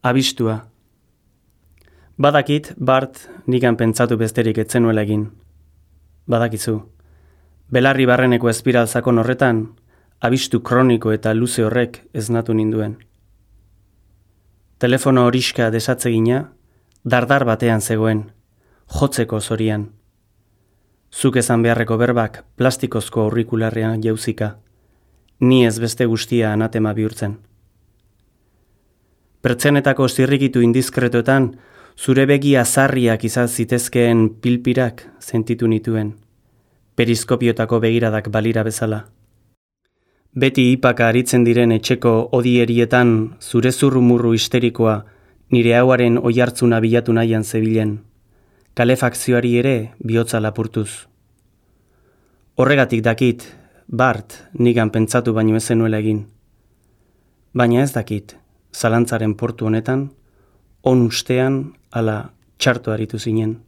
Abistua. Badakit, Bart, nigan pentsatu besterik etzenuela egin. Badakizu. Belarri barreneko espiral sakon horretan, abistu kroniko eta luze horrek esnatu ninduen. Telefono horiska desatzegina, dardar batean zegoen, jotzeko zorian. Zuk esan beharreko berbak plastikozko aurrikularrean jauzika, ni ez beste guztia anatema bihurtzen. Pertsenetako zirrikitu indiskretoetan, zure begi azarriak izan zitezkeen pilpirak sentitu nituen, periskopiotako begiradak balira bezala. Beti ipaka aritzen diren etxeko odierietan zure zurrumurru histerikoa nire hauaren oihartzuna bilatu nahian zebilen, kalefakzioari ere bihotza lapurtuz. Horregatik dakit, Bart, nigan pentsatu baino ez zenuela egin. Baina ez dakit, zalantzaren portu honetan, on ustean ala txarto aritu zinen.